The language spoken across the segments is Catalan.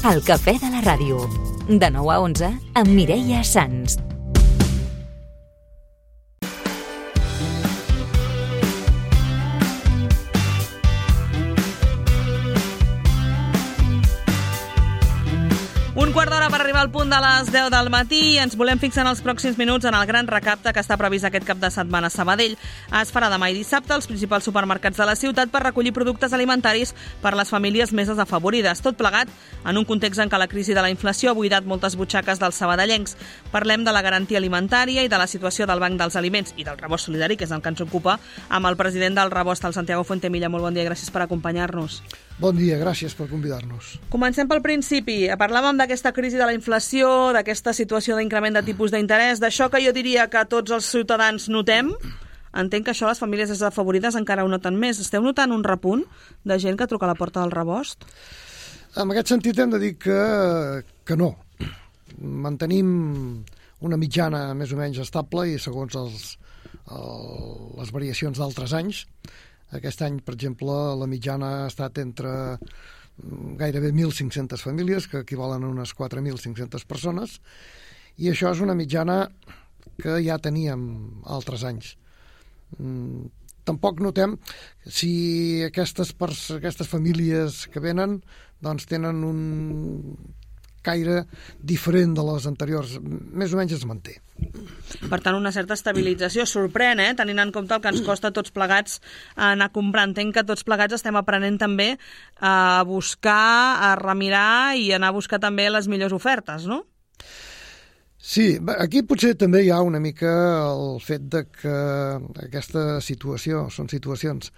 El cafè de la ràdio. De 9 a 11 amb Mireia Sans. Un quart d'hora per arribar al punt de les 10 del matí i ens volem fixar en els pròxims minuts en el gran recapte que està previst aquest cap de setmana a Sabadell. Es farà demà i dissabte als principals supermercats de la ciutat per recollir productes alimentaris per a les famílies més desafavorides. Tot plegat en un context en què la crisi de la inflació ha buidat moltes butxaques dels sabadellencs. Parlem de la garantia alimentària i de la situació del Banc dels Aliments i del Rebost Solidari, que és el que ens ocupa, amb el president del Rebost, el Santiago Fuentemilla. Molt bon dia, gràcies per acompanyar-nos. Bon dia, gràcies per convidar-nos. Comencem pel principi. Parlàvem d'aquesta crisi de la inflació, d'aquesta situació d'increment de tipus d'interès, d'això que jo diria que tots els ciutadans notem. Entenc que això les famílies desafavorides encara ho noten més. Esteu notant un repunt de gent que truca a la porta del Rebost? En aquest sentit hem de dir que no. Mantenim una mitjana més o menys estable i segons les variacions d'altres anys. Aquest any, per exemple, la mitjana ha estat entre gairebé 1.500 famílies, que equivalen a unes 4.500 persones, i això és una mitjana que ja teníem altres anys. Tampoc notem si aquestes famílies que venen doncs tenen un caire diferent de les anteriors. Més o menys es manté. Per tant, una certa estabilització. Sorprèn, tenint en compte el que ens costa tots plegats anar comprant. Entenc que tots plegats estem aprenent també a buscar, a remirar i anar a buscar també les millors ofertes, no? Sí, aquí potser també hi ha una mica el fet de que aquesta situació són situacions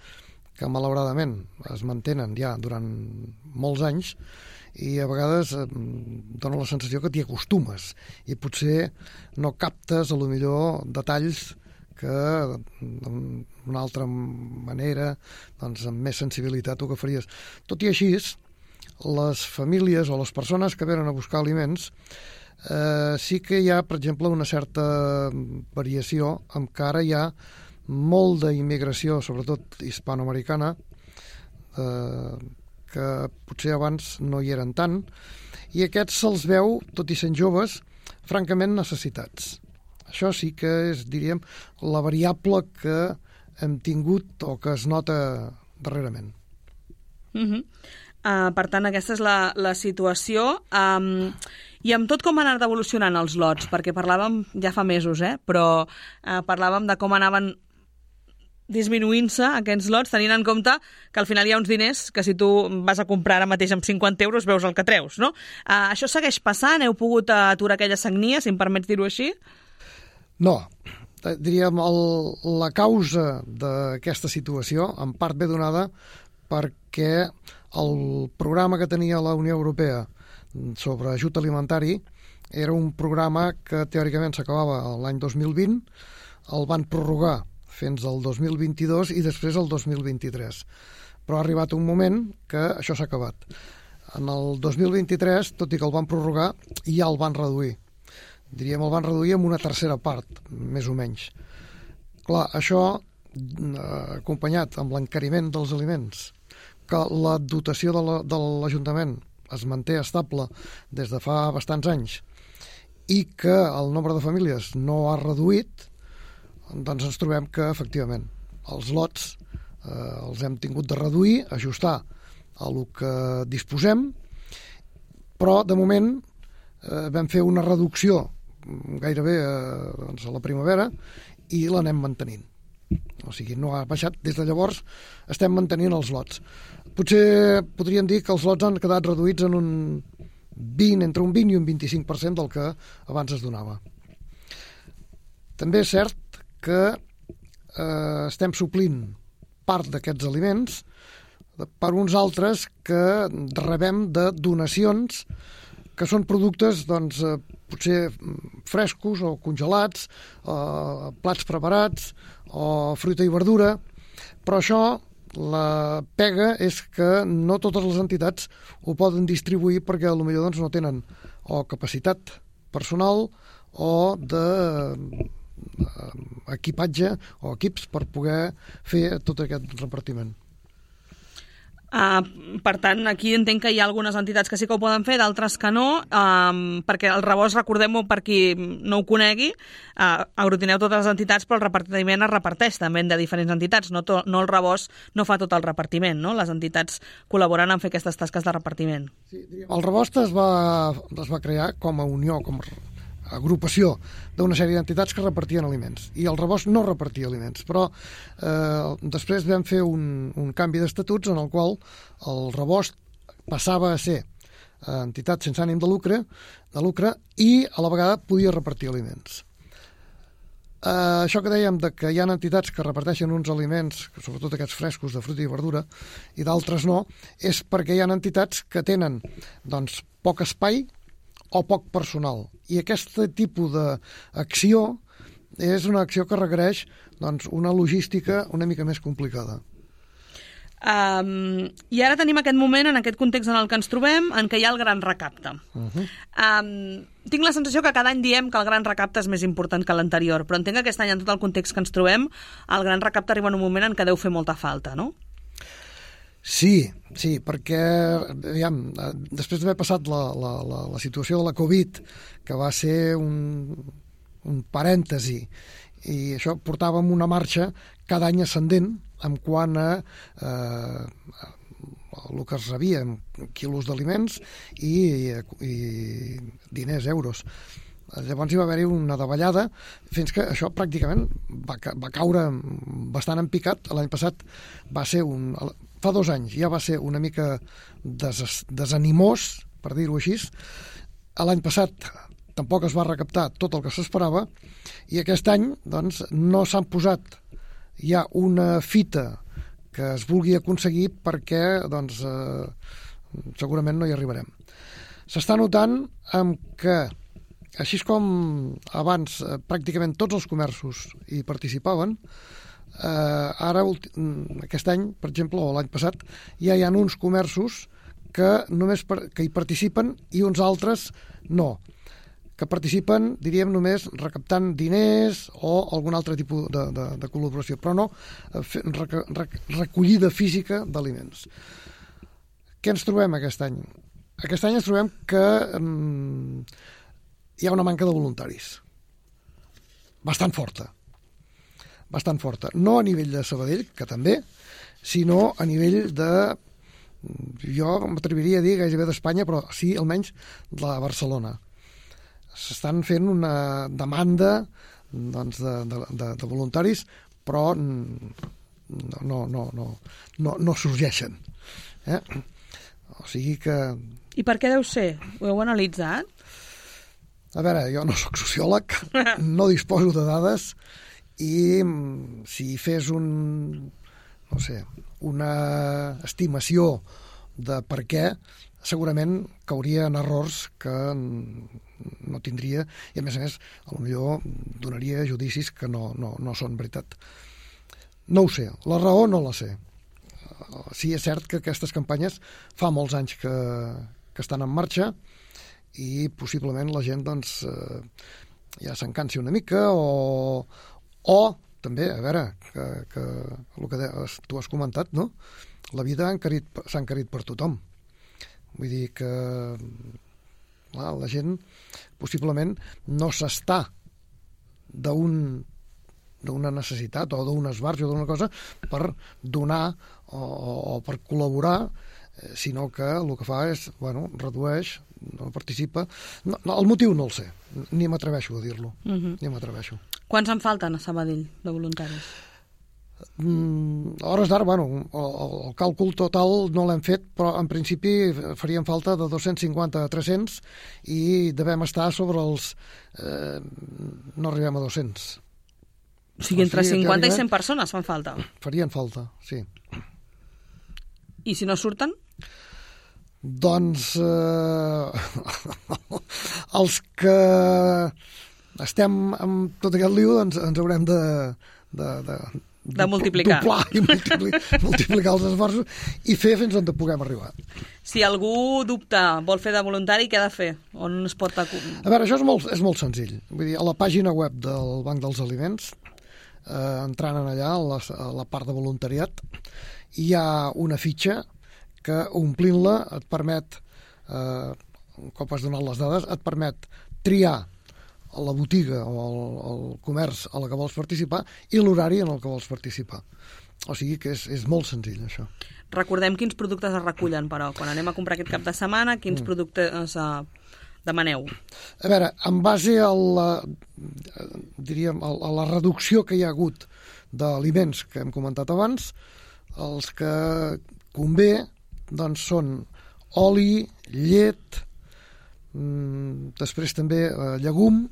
que malauradament es mantenen ja durant molts anys i a vegades dona la sensació que t'hi acostumes i potser no captes a lo millor detalls que d'una altra manera, doncs amb més sensibilitat ho que faries. Tot i així, les famílies o les persones que venen a buscar aliments sí que hi ha, per exemple, una certa variació, amb que ara hi ha molt d'immigració, sobretot hispanoamericana, que potser abans no hi eren tant, i aquests se'ls veu, tot i sent joves, francament necessitats. Això sí que és, diríem, la variable que hem tingut o que es nota darrerament. Per tant, aquesta és la situació. I amb tot com han anat evolucionant els lots, perquè parlàvem ja fa mesos, però parlàvem de com anaven disminuint-se aquests lots, tenint en compte que al final hi ha uns diners que si tu vas a comprar ara mateix amb 50 euros veus el que treus, no? Això segueix passant? Heu pogut aturar aquella sagnia, si em permets dir-ho així? No. Diríem, la causa d'aquesta situació en part ve donada perquè el programa que tenia la Unió Europea sobre ajut alimentari era un programa que teòricament s'acabava l'any 2020, el van prorrogar fins al 2022 i després al 2023. Però ha arribat un moment que això s'ha acabat. En el 2023, tot i que el van prorrogar, ja el van reduir. Diríem, el van reduir amb una tercera part, més o menys. Clar, això, acompanyat amb l'encariment dels aliments, que la dotació de l'Ajuntament es manté estable des de fa bastants anys i que el nombre de famílies no ha reduït, doncs ens trobem que, efectivament, els lots els hem tingut de reduir, ajustar a el que disposem, però, de moment, vam fer una reducció gairebé a la primavera i l'anem mantenint. O sigui, no ha baixat. Des de llavors estem mantenint els lots. Potser podríem dir que els lots han quedat reduïts en entre un 20 i un 25% del que abans es donava. També és cert que estem suplint part d'aquests aliments per uns altres que rebem de donacions que són productes, doncs, potser frescos o congelats, plats preparats o fruita i verdura, però això, la pega és que no totes les entitats ho poden distribuir perquè potser doncs, no tenen o capacitat personal o equipatge o equips per poder fer tot aquest repartiment. Per tant, aquí entenc que hi ha algunes entitats que sí que ho poden fer, d'altres que no, perquè el rebost, recordem-ho per qui no ho conegui, aglutineu totes les entitats, però el repartiment es reparteix també de diferents entitats, no el rebost no fa tot el repartiment, no? Les entitats col·laboren en fer aquestes tasques de repartiment. Sí, el rebost es va crear com a unió, com a agrupació d'una sèrie d'entitats que repartien aliments, i el rebost no repartia aliments, però després vam fer un canvi d'estatuts en el qual el rebost passava a ser entitat sense ànim de lucre i a la vegada podia repartir aliments. Això que dèiem de que hi ha entitats que reparteixen uns aliments, sobretot aquests frescos de fruita i verdura, i d'altres no, és perquè hi ha entitats que tenen doncs, poc espai o poc personal. I aquest tipus d'acció és una acció que requereix doncs, una logística una mica més complicada. I ara tenim aquest moment, en aquest context en el que ens trobem, en què hi ha el gran recapte. Tinc la sensació que cada any diem que el gran recapte és més important que l'anterior, però entenc que aquest any, en tot el context que ens trobem, el gran recapte arriba en un moment en què deu fer molta falta, no? Sí, perquè després d'haver passat la situació de la Covid, que va ser un parèntesi, i això portàvem una marxa cada any ascendent en quant a el que es rebia en quilos d'aliments i diners, euros. Llavors hi va haver-hi una davallada fins que això pràcticament va caure bastant en picat. L'any passat va ser fa 2 anys ja va ser una mica desanimós, per dir-ho així. L'any passat tampoc es va recaptar tot el que s'esperava, i aquest any doncs, no s'han posat ja una fita que es vulgui aconseguir perquè doncs, segurament no hi arribarem. S'està notant que així com abans pràcticament tots els comerços hi participaven, ara aquest any, per exemple, o l'any passat, ja hi ha uns comerços que només que hi participen i uns altres no, que participen, diríem, només recaptant diners o algun altre tipus de col·laboració, però no recollida física d'aliments. Què ens trobem aquest any? Aquest any ens trobem que hi ha una manca de voluntaris bastant forta. No a nivell de Sabadell, que també, sinó a nivell de, jo m'atreviria a dir gairebé d'Espanya, però sí almenys de Barcelona. S'estan fent una demanda doncs, de voluntaris, però no sorgeixen. O sigui que... I per què deu ser? Ho heu analitzat? A veure, jo no soc sociòleg, no disposo de dades, i si fes una estimació de per què, segurament cauria en errors que no tindria, i a més, potser donaria judicis que no són veritat. No ho sé, la raó no la sé. Sí, és cert que aquestes campanyes fa molts anys que estan en marxa, i possiblement la gent doncs, ja s'encansi una mica o també, a veure, que el que tu has comentat, no? La vida s'ha encarit per tothom. Vull dir que la gent possiblement no s'està d'una necessitat o d'un esbarjo o d'una cosa per donar o per col·laborar, sinó que el que fa és, redueix, no participa. No, el motiu no el sé, ni m'atreveixo a dir-lo. Ni m'atreveixo. Quants en falten a Sabadell de voluntaris? A hores d'ara, el càlcul total no l'hem fet, però en principi farien falta de 250 a 300 i devem estar sobre els... no arribem a 200. O sigui, entre 50 i 100 persones fan falta? Farien falta, sí. I si no surten? Doncs els que estem amb tot aquest lío ens haurem de multiplicar. Doblar i multiplicar els esforços i fer fins on puguem arribar. Si algú dubta, vol fer de voluntari, què ha de fer? On es pot... A veure, això és molt senzill. Vull dir, a la pàgina web del Banc dels Aliments, entrant allà, a la part de voluntariat, hi ha una fitxa que omplint-la et permet, un cop has donat les dades, et permet triar la botiga o el comerç a la que vols participar i l'horari en el que vols participar. O sigui que és molt senzill, això. Recordem quins productes es recullen, però, quan anem a comprar aquest cap de setmana, quins productes demaneu? A veure, en base a la reducció que hi ha hagut d'aliments que hem comentat abans, els que convé doncs, són oli, llet, després també llegum,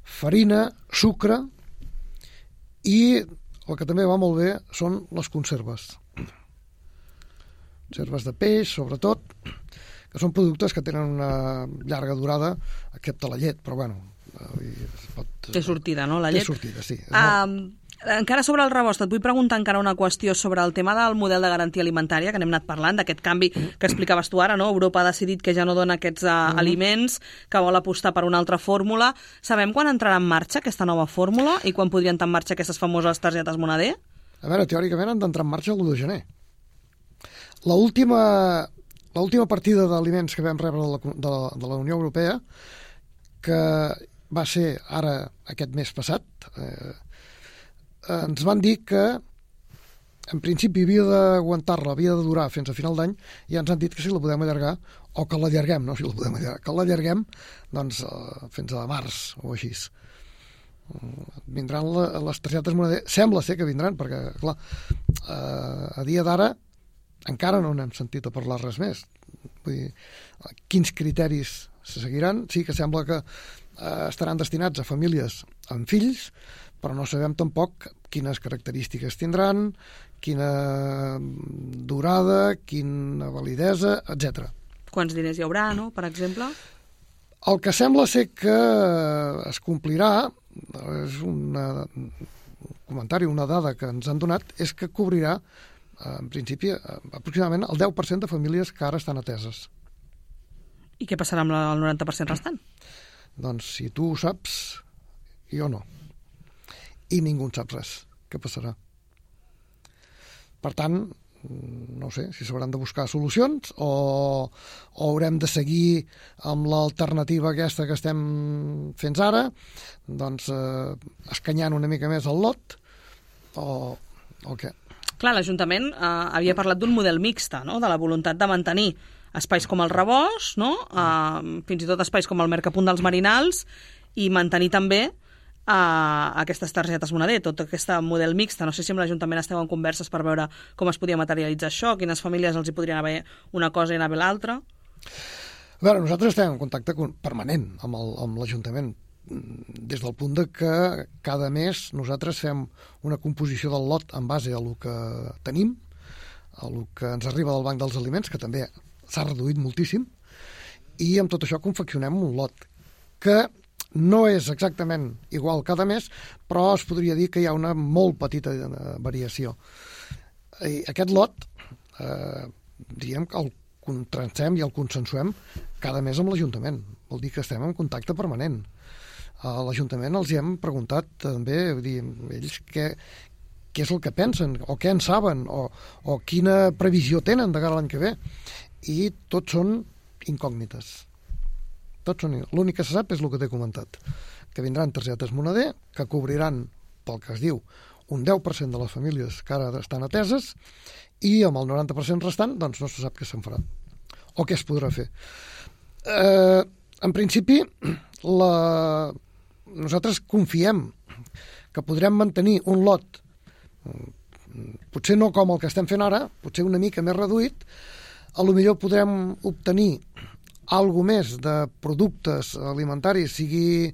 farina, sucre i el que també va molt bé són les conserves. Conserves de peix, sobretot, que són productes que tenen una llarga durada, excepte la llet, però bueno... Té sortida, no, la llet? Té sortida, sí. Encara sobre el rebost, et vull preguntar encara una qüestió sobre el tema del model de garantia alimentària, que n'hem anat parlant, d'aquest canvi que explicaves tu ara, no? Europa ha decidit que ja no dona aquests aliments, que vol apostar per una altra fórmula. Sabem quan entrarà en marxa aquesta nova fórmula i quan podrien entrar en marxa aquestes famoses targetes Moneder? A veure, teòricament han d'entrar en marxa l'1 de gener. L'última partida d'aliments que vam rebre de la Unió Europea, que va ser ara aquest mes passat, ens van dir que en principi havia d'aguantar-la, havia de durar fins a final d'any, i ens han dit que si la podem allargar, o que l'allarguem, no si la podem allargar, que l'allarguem doncs, fins a març o així. Vindran les targetes Moneder, sembla ser que vindran, perquè clar, a dia d'ara encara no n'hem sentit a parlar res més. Vull dir, quins criteris se seguiran? Sí que sembla que estaran destinats a famílies amb fills, però no sabem tampoc quines característiques tindran, quina durada, quina validesa, etc. Quants diners hi haurà, no?, per exemple? El que sembla ser que es complirà, és un comentari, una dada que ens han donat, és que cobrirà, en principi, aproximadament el 10% de famílies que ara estan ateses. I què passarà amb el 90% restant? Doncs si tu ho saps, jo no. I ningú en sap res. Què passarà? Per tant, no sé si s'hauran de buscar solucions o haurem de seguir amb l'alternativa aquesta que estem fent ara, doncs escanyant una mica més el lot o què? Clar, l'Ajuntament havia parlat d'un model mixta, no?, de la voluntat de mantenir espais com el rebost, no?, fins i tot espais com el Mercapunt dels Marinals, i mantenir també aquestes targetes Moneder, tot aquest model mixta. No sé si amb l'Ajuntament esteu en converses per veure com es podia materialitzar això, quines famílies els hi podrien haver una cosa i anar bé l'altra. A veure, nosaltres estem en contacte permanent amb l'Ajuntament, des del punt de que cada mes nosaltres fem una composició del lot en base a el que tenim, a el que ens arriba del Banc dels Aliments, que també s'ha reduït moltíssim, i amb tot això confeccionem un lot que no és exactament igual cada mes, però es podria dir que hi ha una molt petita variació. I aquest lot, diguem que el contractem i el consensuem cada mes amb l'Ajuntament. Vol dir que estem en contacte permanent. A l'Ajuntament els hi hem preguntat també, ells què és el que pensen, o què en saben, o quina previsió tenen de cara a l'any que ve. I tots són incògnites. L'únic que se sap és el que t'he comentat, que vindran targetes Moneder, que cobriran, pel que es diu, un 10% de les famílies que ara estan ateses, i amb el 90% restant doncs no se sap què se'n farà o què es podrà fer. En principi, nosaltres confiem que podrem mantenir un lot, potser no com el que estem fent ara, potser una mica més reduït, a lo millor podrem obtenir algo més de productes alimentaris, sigui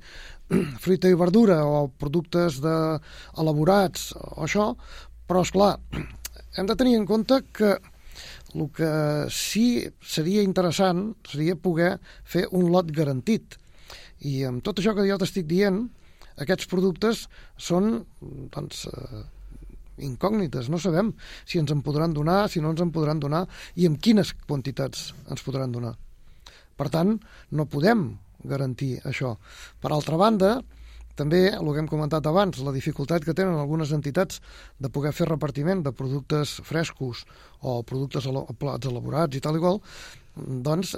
fruita i verdura o productes elaborats o això, però esclar, hem de tenir en compte que el que sí seria interessant seria poder fer un lot garantit. I amb tot això que jo t'estic dient, aquests productes són doncs, incògnites, no sabem si ens en podran donar, si no ens en podran donar i amb quines quantitats ens podran donar. Per tant, no podem garantir això. Per altra banda, també, el que hem comentat abans, la dificultat que tenen algunes entitats de poder fer repartiment de productes frescos o productes plats elaborats i tal i qual, doncs,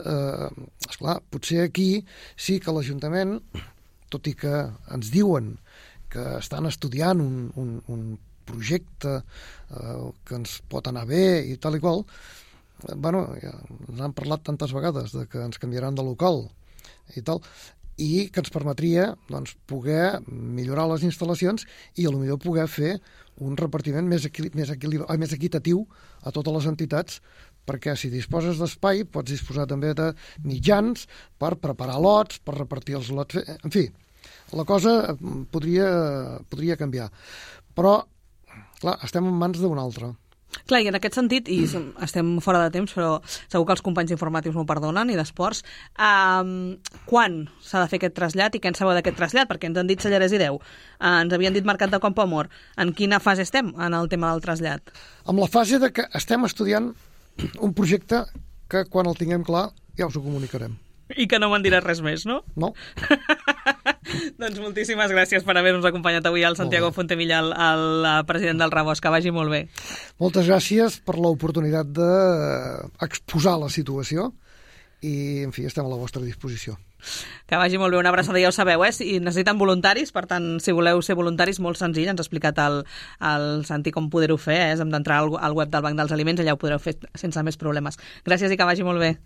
esclar, potser aquí sí que l'Ajuntament, tot i que ens diuen que estan estudiant un projecte que ens pot anar bé i tal i qual, bueno, ja ens han parlat tantes vegades de que ens canviaran de local i tal, i que ens permetria doncs, poder millorar les instal·lacions i potser poder fer un repartiment més equitatiu a totes les entitats, perquè si disposes d'espai pots disposar també de mitjans per preparar lots, per repartir els lots, en fi, la cosa podria canviar. Però, clar, estem en mans d'un altre. Clar, i en aquest sentit, i estem fora de temps, però segur que els companys informatius m'ho perdonen, i d'esports, quan s'ha de fer aquest trasllat i què en sabeu d'aquest trasllat? Perquè ens han dit Sellarès i Deu, ens havien dit Mercat de Campoamor. En quina fase estem en el tema del trasllat? Amb la fase de que estem estudiant un projecte que quan el tinguem clar ja us ho comunicarem. I que no me'n diràs res més, no? No. Doncs moltíssimes gràcies per haver-nos acompanyat avui al Santiago Fontemilla, el president del Rebost. Que vagi molt bé. Moltes gràcies per l'oportunitat d'exposar la situació i, en fi, estem a la vostra disposició. Que vagi molt bé, una abraçada, ja ho sabeu, si necessiten voluntaris, per tant, si voleu ser voluntaris, molt senzill, ens ha explicat el Santi com poder-ho fer, hem d'entrar al web del Banc dels Aliments, allà ho podreu fer sense més problemes. Gràcies i que vagi molt bé.